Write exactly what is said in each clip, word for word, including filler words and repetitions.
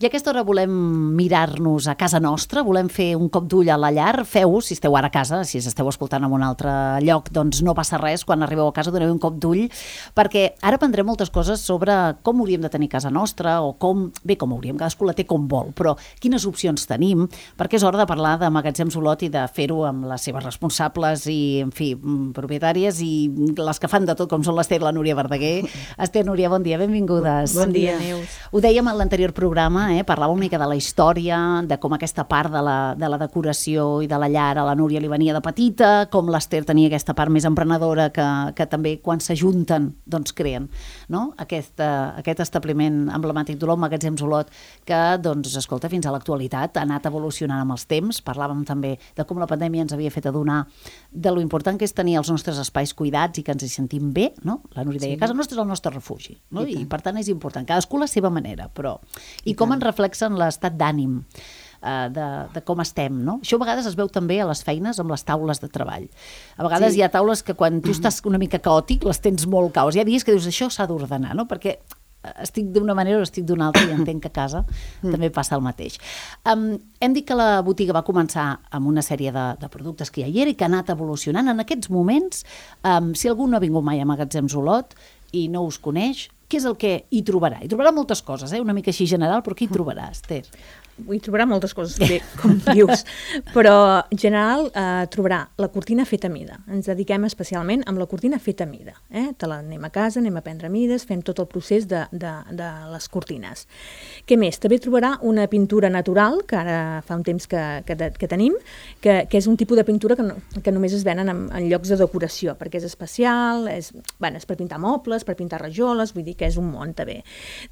I a aquesta hora volem mirar-nos a casa nostra, volem fer un cop d'ull a la llar. Feu-ho, si esteu ara a casa, si esteu escoltant en un altre lloc, doncs no passa res, quan arribeu a casa doneu un cop d'ull, perquè ara aprendrem moltes coses sobre com hauríem de tenir casa nostra, o com, bé, com hauríem, cadascú la té com vol, però quines opcions tenim, perquè és hora de parlar de Magatzems Olot i de fer-ho amb les seves responsables i, en fi, propietàries i les que fan de tot, com són l'Ester i la Núria Verdaguer. Esther, Núria, bon dia, benvingudes. Bon dia, Neus. Ho dèiem en l'anterior programa, eh? Parlàvem una mica de la història, de com aquesta part de la, de la decoració i de la llar a la Núria li venia de petita, com l'Ester tenia aquesta part més emprenedora que, que també quan s'ajunten doncs creen, no? Aquest, uh, aquest establiment emblemàtic d'Olot, Magatzems Olot, que, doncs, escolta, fins a l'actualitat ha anat evolucionant amb els temps. Parlàvem també de com la pandèmia ens havia fet adonar de lo important que és tenir els nostres espais cuidats i que ens hi sentim bé, no? La Núria deia, sí. Casa nostra és el nostre refugi, no? I, I per tant és important, cadascú la seva manera, però... I, I com ens reflexen l'estat d'ànim uh, de, de com estem, no? Això a vegades es veu també a les feines amb les taules de treball. A vegades sí. Hi ha taules que quan tu estàs una mica caòtic les tens molt caos. Hi ha dies que dius això s'ha d'ordenar, no? Perquè estic d'una manera o estic d'una altra i entenc que a casa mm. també passa el mateix. Um, hem dit que la botiga va començar amb una sèrie de, de productes que ja hi era i que ha anat evolucionant. En aquests moments, um, si algú no ha vingut mai a Magatzems Olot i no us coneix, què és el que hi trobarà? Hi trobarà moltes coses, eh? Una mica així general, però què hi trobarà, Esther? Hi trobarà moltes coses, bé, com dius, però en general eh, trobarà la cortina feta a mida. Ens dediquem especialment amb la cortina feta a mida. Eh? Te la anem a casa, anem a prendre mides, fem tot el procés de, de, de les cortines. Què més? També trobarà una pintura natural, que ara fa un temps que, que, que tenim, que, que és un tipus de pintura que, no, que només es venen en, en llocs de decoració, perquè és especial, és, bueno, és per pintar mobles, per pintar rajoles, vull dir que és un món també.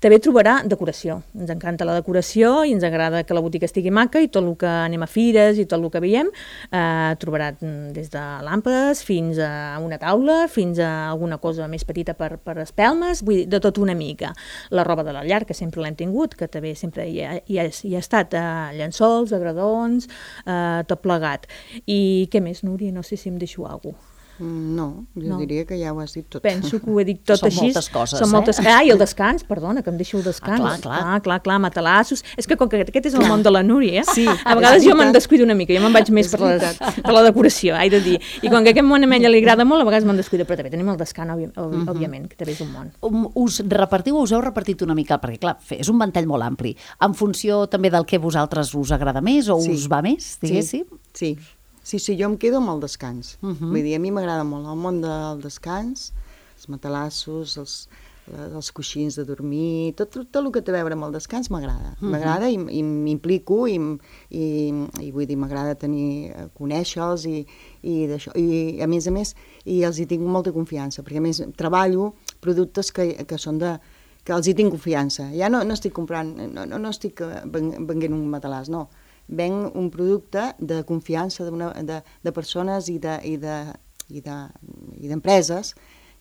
També trobarà decoració. Ens encanta la decoració i ens agrada que la botiga estigui maca i tot el que anem a fires i tot el que veiem eh, trobarà des de làmpades fins a una taula, fins a alguna cosa més petita per, per espelmes, vull dir, de tot una mica. La roba de la llar, que sempre l'hem tingut, que també sempre hi ha, hi ha, hi ha estat eh, llençols, agradons, eh, tot plegat. I què més, Núria? No sé si em deixo alguna cosa. No, jo no. diria que ja ho has dit tot. Penso que ho he dit tot Són així. moltes coses, Són eh? moltes... Ah, i el descans, perdona, que em deixo el descans. Ah, clar, clar. Ah, clar, clar, matalassos. És que com que aquest és el clar. Món de la Núria, sí, a vegades jo me'n descuido una mica, jo me'n vaig més per, les, per la decoració, haig de dir. I com que aquest món a ella li agrada molt, a vegades me'n descuido, però també tenim el descans, òbvi, òbvi, uh-huh. òbviament, que també és un món. Um, us repartiu, us heu repartit una mica, perquè clar, és un ventall molt ampli, en funció també del que vosaltres us agrada més o sí. us va més, diguéssim? Sí, sí. Sí, sí, jo em quedo amb el descans. Uh -huh. Vull dir, a mi m'agrada molt el món del descans, els matalassos, els, els coixins de dormir, tot, tot, tot el que té a veure amb el descans m'agrada. Uh -huh. M'agrada i, i m'implico i, i, i vull dir, m'agrada tenir, conèixer-los i, i d'això. I a més a més, i els hi tinc molta confiança, perquè a més treballo productes que, que són de que els hi tinc confiança. Ja no, no estic comprant, no, no, no estic venent un matalàs, no. Venc un producte de confiança de, de, de persones i de, i de, i de, i d'empreses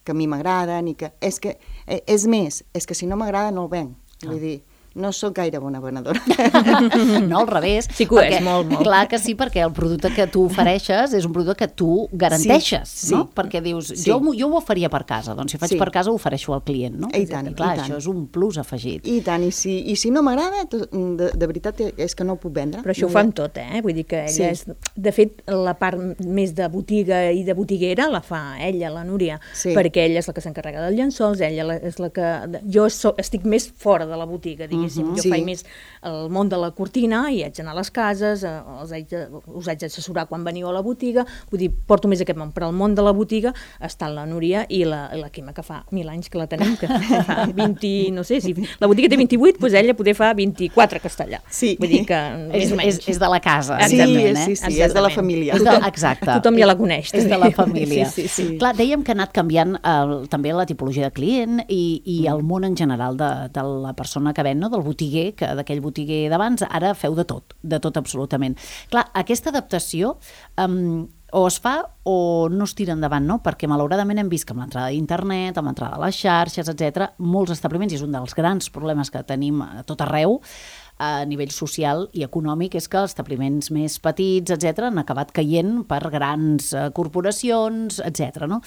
que a mi m'agraden i que és que és més, és que si no m'agrada no el venc, vull ah. dir, no sóc gaire bona venedora. No, al revés. Sí que ho és, molt, molt. Clar que sí, perquè el producte que tu ofereixes és un producte que tu garanteixes, sí, no? Sí. Perquè dius, sí. jo, jo ho faria per casa, doncs si faig sí. per casa ho ofereixo al client, no? I tant, clar, i tant. això és un plus afegit. I tant, i si, i si no m'agrada, de, de veritat és que no ho puc vendre. Però això no ho fa amb tot, eh? Vull dir que ella sí. és... De fet, la part més de botiga i de botiguera la fa ella, la Núria, sí. perquè ella és la que s'encarrega dels llençols, ella és la que... Jo so, estic més fora de la botiga, diguéssim, uh-huh. jo sí. faig més el món de la cortina i haig d'anar a les cases, els haig de, us haig d'assessorar quan veniu a la botiga, vull dir, porto més aquest món, però el món de la botiga està la Núria i la, la Quima, que fa mil anys que la tenim, que fa vint, no sé, si la botiga té vint-i-vuit, doncs ella poder fa vint-i-quatre que està allà. Sí. Vull dir que és, és, és de la casa, sí, exactament, eh? Sí, sí, sí, és de la família. És de, exacte. Tothom ja la coneix. És de la família. Sí, sí, sí. Clar, dèiem que ha anat canviant el, també la tipologia de client i, i el món en general de, de la persona que ven, no? Del botiguer, que d'aquell botiguer d'abans, ara feu de tot, de tot absolutament. Clar, aquesta adaptació um, o es fa o no es tira endavant, no? Perquè malauradament hem vist que amb l'entrada d'internet, amb l'entrada de les xarxes, etcètera, molts establiments, i és un dels grans problemes que tenim a tot arreu, a nivell social i econòmic, és que els establiments més petits, etcètera, han acabat caient per grans corporacions, etcètera, no?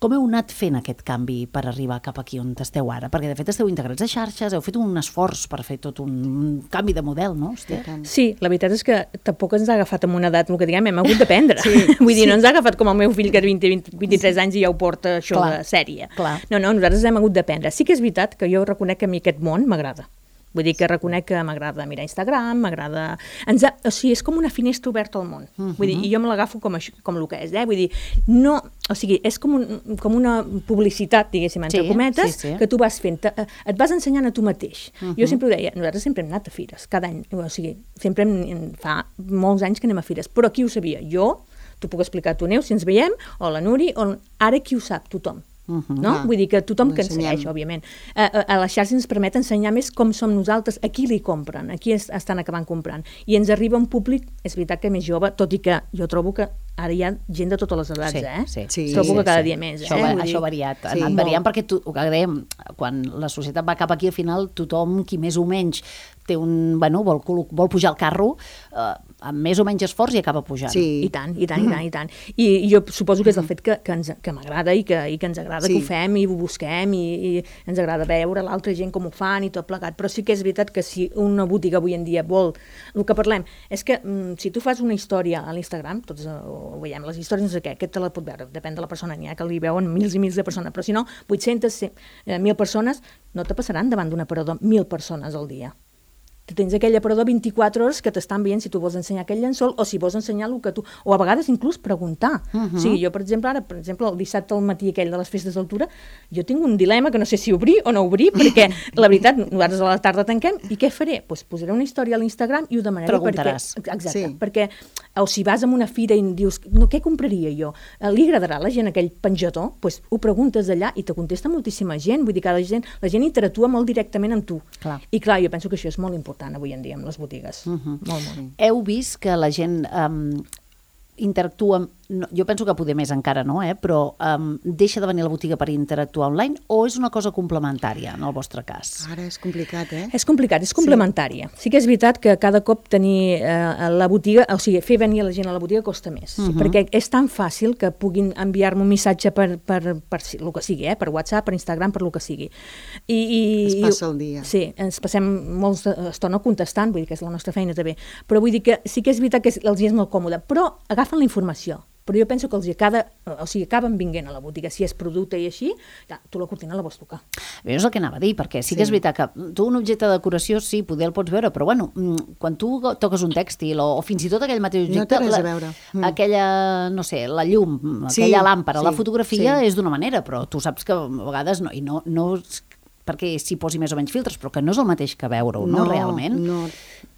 Com heu anat fent aquest canvi per arribar cap aquí on esteu ara? Perquè, de fet, esteu integrats a xarxes, heu fet un esforç per fer tot un canvi de model, no? Hòstia. Sí, la veritat és que tampoc ens ha agafat amb una edat, el que diguem, hem hagut d'aprendre. Sí, Vull dir, sí. no ens ha agafat com el meu fill, que té vint, vint, vint-i-tres anys i ja ho porta això clar, de sèrie. Clar. No, no, nosaltres hem hagut d'aprendre. Sí que és veritat que jo reconec que a mi aquest món m'agrada. Vull dir que reconec que m'agrada mirar Instagram, m'agrada... Ens ha... O sigui, és com una finestra oberta al món. Uh -huh. Vull dir, i jo me l'agafo com, això, com el que és, eh? Vull dir, no... O sigui, és com, un, com una publicitat, diguéssim, entre sí, cometes, sí, sí. que tu vas fent. Et vas ensenyant a tu mateix. Uh -huh. Jo sempre ho deia, nosaltres sempre hem anat a fires, cada any. O sigui, sempre hem, fa molts anys que anem a fires. Però qui ho sabia? Jo, t'ho puc explicar a tu, Neus, si ens veiem, o la Nuri, o... ara qui ho sap? Tothom. Uh -huh. no? ah, Vull dir que tothom que ens segueix, òbviament. A, a, a les xarxes ens permet ensenyar més com som nosaltres, a qui li compren, a qui es, estan acabant comprant. I ens arriba un públic, és veritat que més jove, tot i que jo trobo que ara hi ha gent de totes les edats, sí, eh? Sí, sí. Trobo sí, que cada sí. dia més. Això, eh? va, això ha variat, ha sí, anat variant, molt. Perquè tu, el que dèiem, quan la societat va cap aquí, al final tothom, qui més o menys té un, bueno, vol, vol pujar al carro, eh, amb més o menys esforç i acaba pujant. Sí. I tant, i tant, i tant, i tant. I, i jo suposo que és el fet que, que, ens, que m'agrada i que, i que ens agrada sí. que ho fem i ho busquem i, i ens agrada veure l'altra gent com ho fan i tot plegat, però sí que és veritat que si una botiga avui en dia vol... El que parlem és que mm, si tu fas una història a l'Instagram, tots ho veiem, les històries no sé què, aquest te la pot veure, depèn de la persona, n'hi ha que li veuen mils i mils de persones, però si no, vuit-centes, mil persones, no te passaran davant d'un aparador mil persones al dia. Tu tens aquell aparador vint-i-quatre hores que t'estan veient si tu vols ensenyar aquell llençol o si vols ensenyar el que tu... O a vegades inclús preguntar. Uh -huh. O sigui, jo, per exemple, ara, per exemple, el dissabte al matí aquell de les festes d'altura, jo tinc un dilema que no sé si obrir o no obrir, perquè, la veritat, nosaltres a la tarda tanquem, i què faré? Doncs pues posaré una història a l'Instagram i ho demanaré. Preguntaràs. Perquè, exacte, sí. perquè, o si vas a una fira i dius, no, què compraria jo? Li agradarà a la gent aquell penjador? Doncs pues ho preguntes allà i te contesta moltíssima gent, vull dir que la gent, la gent interactua molt directament amb tu. Clar. I clar, jo penso que això és molt important avui en dia amb les botigues. Uh -huh. Molt, molt. Heu vist que la gent um, interactua, no, jo penso que poder més encara no, eh? Però um, deixa de venir a la botiga per interactuar online o és una cosa complementària en el vostre cas? Ara és complicat, eh? És complicat, és complementària. Sí, sí que és veritat que cada cop tenir eh, la botiga, o sigui, fer venir la gent a la botiga costa més, uh -huh. perquè és tan fàcil que puguin enviar-me un missatge per, per, per, per el que sigui, eh? Per WhatsApp, per Instagram, per el que sigui. I, i, es passa el dia. Sí, ens passem molta estona contestant, vull dir que és la nostra feina també, però vull dir que sí que és veritat que els és molt còmode, però agafen la informació. Però jo penso que els acaba, o sigui, acaben vinguent a la botiga, si és producte i així, ja, tu la cortina la vols tocar. Bé, és el que anava a dir, perquè sí, sí que és veritat que tu un objecte de decoració, sí, poder el pots veure, però bueno, quan tu toques un tèxtil o, o fins i tot aquell mateix objecte, no té res la, a veure. Mm. aquella, no sé, la llum, sí, aquella làmpara, sí, la fotografia sí. és d'una manera, però tu saps que a vegades no, i no, no perquè s'hi posi més o menys filtres, però que no és el mateix que veure-ho, no, no? Realment. No.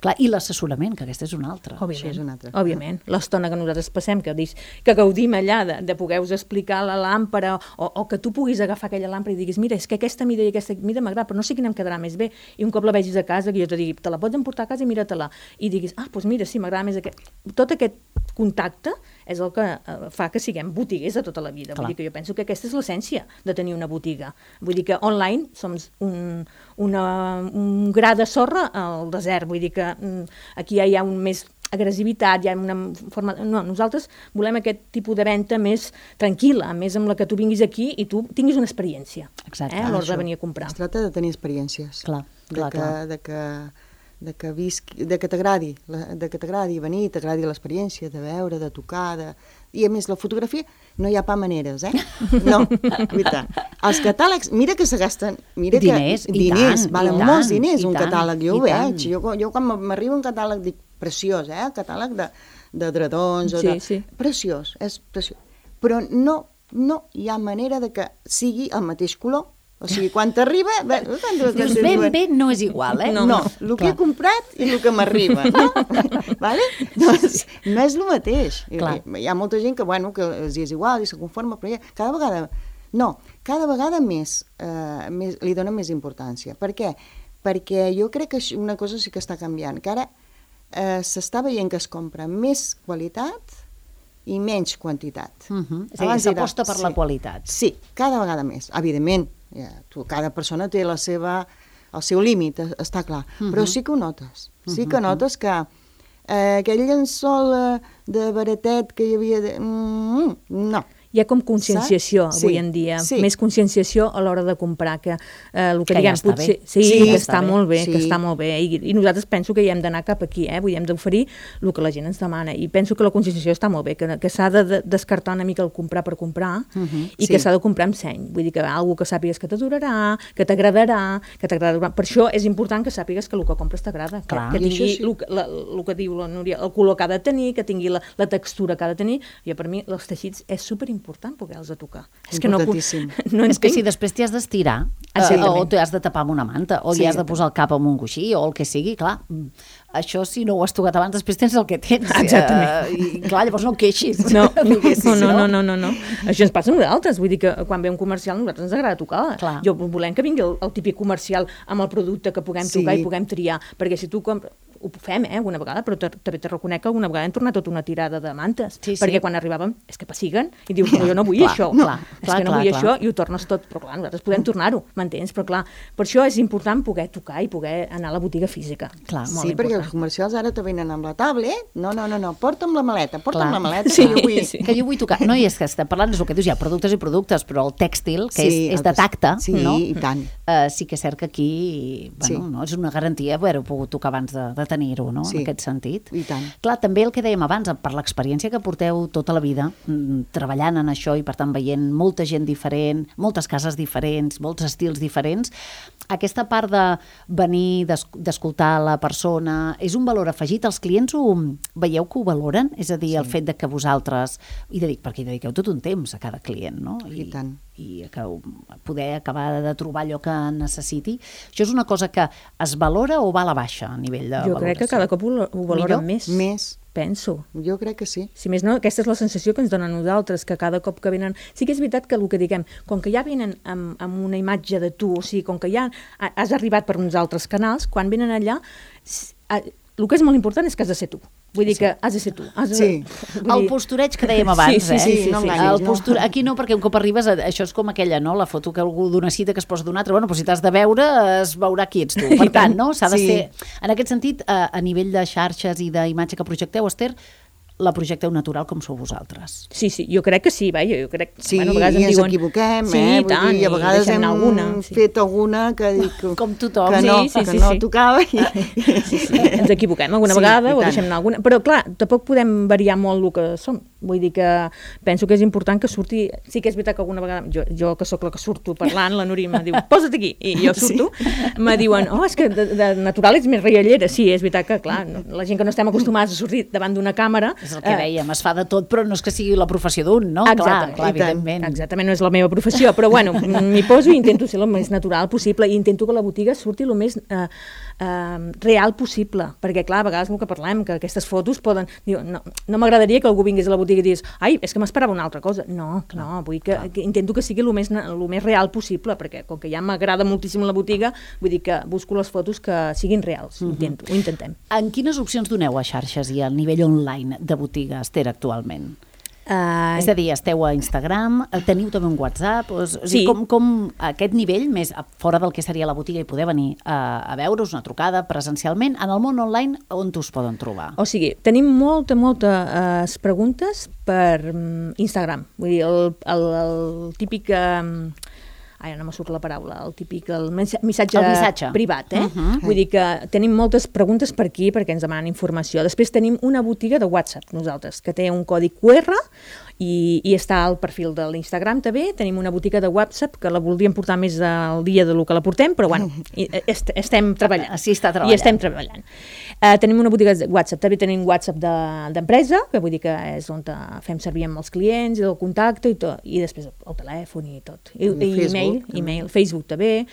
Clar, i l'assessorament, que aquesta és una altra. Òbviament, és una altra. òbviament. L'estona que nosaltres passem, que, dis, que gaudim allà de, de poder-vos explicar la làmpara, o, o que tu puguis agafar aquella làmpara i diguis, mira, és que aquesta mida i aquesta mida m'agrada, però no sé quina em quedarà més bé. I un cop la vegis a casa, que jo te digui, te la pots emportar a casa i mira-te-la. I diguis, ah, doncs mira, sí, m'agrada més aquest. Tot aquest contacte és el que uh, fa que siguem botiguers de tota la vida. Vull dir que jo penso que aquesta és l'essència de tenir una botiga. Vull dir que online som un, una, un gra de sorra al desert. Vull dir que um, aquí ja hi ha un més agressivitat, hi ha una forma... No, nosaltres volem aquest tipus de venda més tranquil·la, més amb la que tu vinguis aquí i tu tinguis una experiència. Exacte. Eh, a l'hora de venir a comprar. Es tracta de tenir experiències. Clar, de clar, que, clar. De que, de que visqui, de que t'agradi, de que t'agradi venir, t'agradi l'experiència, de veure, de tocar, de... I a més, la fotografia no hi ha pa maneres, eh? No, veritat. Els catàlegs, mira que se gasten... Mira diners, que, i diners, tant, valen i tant, molts diners i un tant, catàleg, jo ho veig. Jo, jo quan m'arriba un catàleg dic, preciós, eh? El catàleg de, de dredons o sí, de... Sí. Preciós, és preciós. Però no, no hi ha manera de que sigui el mateix color. O sigui, quan t'arriba... Dius, ben bé no és igual, eh? No, no, el que he comprat i el que m'arriba, no? Vale? Doncs no és el mateix. Clar. Hi ha molta gent que, bueno, que els és igual i se conforma, però ja, cada vegada... No, cada vegada més, eh, més li dona més importància. Per què? Perquè jo crec que una cosa sí que està canviant, que ara eh, s'està veient que es compra més qualitat i menys quantitat. Uh -huh. És a dir, s'aposta per sí, la qualitat. Sí, cada vegada més, evidentment. Ja, tu, cada persona té la seva, el seu límit, està clar, uh -huh. però sí que ho notes, sí que notes que eh, aquell llençol eh, de baratet que hi havia... De... Mm, no. hi ha com conscienciació Saps? avui Sí, en dia, sí. més conscienciació a l'hora de comprar, que eh, el que, Que ja diguem, està potser... bé. Sí, Sí, que està està bé. molt bé, Sí. que està molt bé, I, i nosaltres penso que hi hem d'anar cap aquí, eh? Vull dir, hem d'oferir el que la gent ens demana, i penso que la conscienciació està molt bé, que, que s'ha de, de descartar una mica el comprar per comprar, uh -huh. i Sí. que s'ha de comprar amb seny, vull dir que algú que sàpigues que t'adorarà, que t'agradarà, que t'agradarà. Per això és important que sàpigues que el que compres t'agrada, que, Clar. que I això tingui sí. el, que- la, el que diu la Núria, el color que ha de tenir, que tingui la, la textura que ha de tenir. Jo, per mi, els teixits és superimportant poder-los a tocar. És que no, Importantíssim. no És que entenc. si després t'hi has d'estirar, eh, Exactament. o t'hi has de tapar amb una manta, o Sí. hi has de posar el cap amb un coixí, o el que sigui, clar, mm, això si no ho has tocat abans, després tens el que tens. Exactament. Eh, I clar, llavors no ho queixis. No, diguéssim, no, no, no, no, no, no. Això ens passa a nosaltres, vull dir que quan ve un comercial a nosaltres ens agrada tocar. Clar. Jo volem que vingui el, el típic comercial amb el producte que puguem Sí. tocar i puguem triar, perquè si tu compres... Ho fem, eh, alguna vegada, però te- també te reconec que alguna vegada hem tornat tota una tirada de mantes, Sí, sí. perquè quan arribàvem és que pessiguen i dius, però jo no vull Clar, això, clar, és clar, que no clar, vull clar. això, i ho tornes tot, però clar, nosaltres podem tornar-ho, m'entens? Però clar, per això és important poder tocar i poder anar a la botiga física. Clar, Molt Sí, perquè important. els comercials ara te venen amb la tablet. No, no, no, no, porta'm la maleta, porta'm Clar. la maleta, Sí, que jo vull... sí. Que jo vull tocar. No, i és que estem parlant, és el que dius, hi ha productes i productes, però el tèxtil, que Sí, és, és el de tes- tacte, sí, no? i tant. Uh, sí que és cert que aquí, bueno, Sí. no, és una garantia haver-ho pogut tocar abans de, de tenir-ho, no? Sí. En aquest sentit. I tant. Clar, també el que dèiem abans, per l'experiència que porteu tota la vida mm, treballant en això i per tant veient molta gent diferent, moltes cases diferents, molts estils diferents, aquesta part de venir, d'es- d'escoltar la persona, és un valor afegit? Els clients ho veieu que ho valoren? És a dir, sí. el fet de que vosaltres, i dedic, perquè hi dediqueu tot un temps a cada client, no? I tant. I que poder acabar de trobar allò que necessiti. Això és una cosa que es valora o va a la baixa a nivell de Jo valoració? crec que cada cop ho, ho valoren Millor? més, Més, penso. jo crec que sí. Si més no, aquesta és la sensació que ens donen a nosaltres, que cada cop que venen... Sí que és veritat que el que diguem, com que ja venen amb, amb una imatge de tu, o sigui, com que ja has arribat per uns altres canals, quan venen allà, s- a- el que és molt important és que has de ser tu. Vull dir que has de ser tu. Has de, Sí. vull El dir- postureig que dèiem abans, sí, sí, eh? sí, sí, no sí. enganyis. El posture... Aquí no, perquè un cop arribes, a- això és com aquella, no? La foto que algú d'una cita que es posa d'un altre. Bueno, però si t'has de veure, es veurà qui ets tu. Per tant, no? S'ha de Sí. ser... En aquest sentit, a, a nivell de xarxes i d'imatge que projecteu, Esther, la projecteu natural com sou vosaltres. Sí, sí, jo crec que sí, vaja, jo crec... Sí, bueno, a vegades i em ens diuen, equivoquem, sí, eh? i tant, dir, i a vegades deixem hem alguna, sí. fet alguna que, dic que, Com tothom. que no, Sí, sí, que sí, no sí. tocava. I... Sí, sí, ens equivoquem alguna Sí, vegada i o tant. deixem anar alguna... Però clar, tampoc podem variar molt el que som. Vull dir que penso que és important que surti... Sí que és veritat que alguna vegada... Jo, jo que sóc la que surto parlant, la Núria em diu, posa't aquí, i jo surto, sí. Me diuen, oh, és que de, de natural ets més riallera. Sí, és veritat que, clar, no, la gent que no estem acostumats a sortir davant d'una càmera... És el que dèiem, es fa de tot, però no és que sigui la professió d'un, no? Exactament, clar, clar, i tant. evidentment. Exactament, no és la meva professió, però bueno, m'hi poso i intento ser el més natural possible i intento que la botiga surti el més eh, eh, real possible, perquè clar, a vegades el que parlem, que aquestes fotos poden... Diu, no no m'agradaria que algú vingués a la botiga i digués, ai, és que m'esperava una altra cosa. No, clar, no, vull que, que intento que sigui el més, el més real possible, perquè com que ja m'agrada moltíssim la botiga, vull dir que busco les fotos que siguin reals, Mhm. intento, ho intentem. En quines opcions doneu a xarxes i al nivell online de botiga, Esther, actualment? Uh, És a dir, esteu a Instagram, teniu també un WhatsApp, o és, Sí. sí. com, com aquest nivell, més a- fora del que seria la botiga i poder venir a, a veure's una trucada presencialment, en el món online, on us poden trobar? O sigui, tenim molta, moltes preguntes per um, Instagram. Vull dir, el, el, el típic... Um, ai, no me surt la paraula, el típic el mensa- missatge, El missatge. privat, eh? Uh -huh. Vull dir que tenim moltes preguntes per aquí perquè ens demanen informació. Després tenim una botiga de WhatsApp, nosaltres, que té un codi Q R i, i està al perfil de l'Instagram també. Tenim una botiga de WhatsApp que la voldríem portar més al dia de lo que la portem, però bueno, i- est estem treballant. Així està treballant. I estem treballant. Uh, tenim una botiga de WhatsApp, també tenim WhatsApp de- d'empresa, que vull dir que és on te fem servir amb els clients, el contacte i tot, i després el telèfon i tot. I, I i Facebook, e-mail, també. e-mail, Facebook també,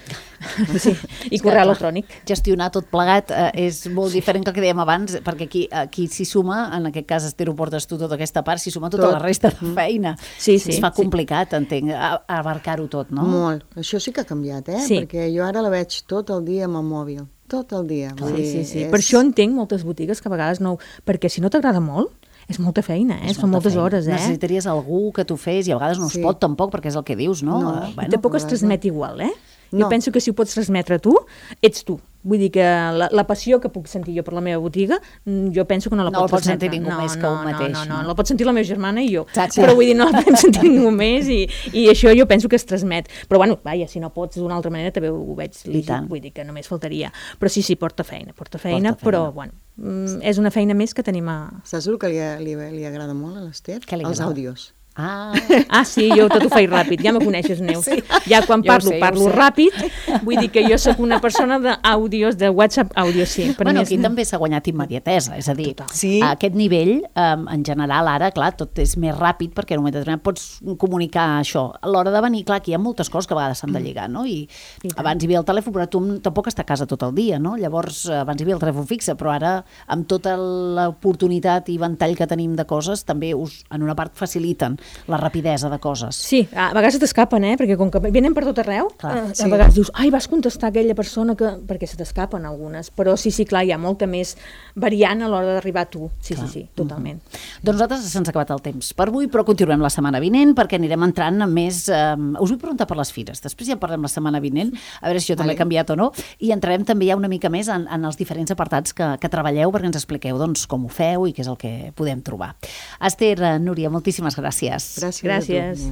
sí, i És que, correu clar, electrònic. Gestionar tot plegat eh, és molt diferent que el que dèiem abans, perquè aquí, aquí s'hi suma, en aquest cas, Esther, ho portes tu tota aquesta part, s'hi suma tota Tot. la resta de feina. Sí, sí, Es fa sí. complicat, entenc, a- abarcar-ho tot, no? Molt. Això sí que ha canviat, eh? Sí. Perquè jo ara la veig tot el dia amb el mòbil. Tot el dia. Vull Sí, dir, sí, sí. és- Per això entenc moltes botigues que a vegades no... Perquè si no t'agrada molt, és molta feina, eh? És Són molta moltes feina. hores, eh? Necessitaries algú que t'ho fes i a vegades no es Sí. pot tampoc, perquè és el que dius, no? No. Eh, I tampoc es a vegades transmet igual, eh? No. Jo penso que si ho pots transmetre tu, ets tu. Vull dir que la, la passió que puc sentir jo per la meva botiga, jo penso que no la no pot transmetre. No la pot sentir ningú no, més que no, un mateix. No, no, no, no, la pot sentir la meva germana i jo. Exacte. Però vull dir, no la pot sentir ningú més i, i això jo penso que es transmet. Però bueno, vaja, si no pots d'una altra manera també ho veig lícit, vull dir que només faltaria. Però sí, sí, porta feina, porta feina, porta feina. Però bueno, és una feina més que tenim a... Saps el que li, li, li agrada molt a l'Ester? Els àudios. Ah. ah, sí, jo tot ho faig ràpid, ja me coneixes, Neus. Sí. Ja quan parlo, sé, parlo ràpid, vull dir que jo sóc una persona d'àudios, de WhatsApp àudio, sí. Per bueno, aquí és... també s'ha guanyat immediatesa, és a dir, sí. a aquest nivell, um, en general, ara, clar, tot és més ràpid perquè en un moment determinat pots comunicar això. A l'hora de venir, clar, aquí hi ha moltes coses que a vegades s'han de lligar, no? I, I abans hi havia el telèfon, però tu tampoc està a casa tot el dia, no? Llavors, abans hi havia el telèfon fixe, però ara, amb tota l'oportunitat i ventall que tenim de coses, també us, en una part, faciliten la rapidesa de coses. Sí, a vegades t'escapen, eh? Perquè com que venen per tot arreu, clar, a sí. vegades dius, ai, vas contestar a aquella persona que... perquè se t'escapen algunes, però sí, sí, clar, hi ha molta més variant a l'hora d'arribar a tu. Sí, clar. sí, sí, totalment. Mm-hmm. Doncs nosaltres se'ns ha acabat el temps per avui, però continuem la setmana vinent perquè anirem entrant en més... Eh, us vull preguntar per les fires, després ja parlem la setmana vinent, a veure si jo també he canviat o no, i entrarem també ja una mica més en, en els diferents apartats que, que treballeu perquè ens expliqueu doncs, com ho feu i què és el que podem trobar. Ester, Núria, moltíssimes gràcies. Gràcies. Gràcies.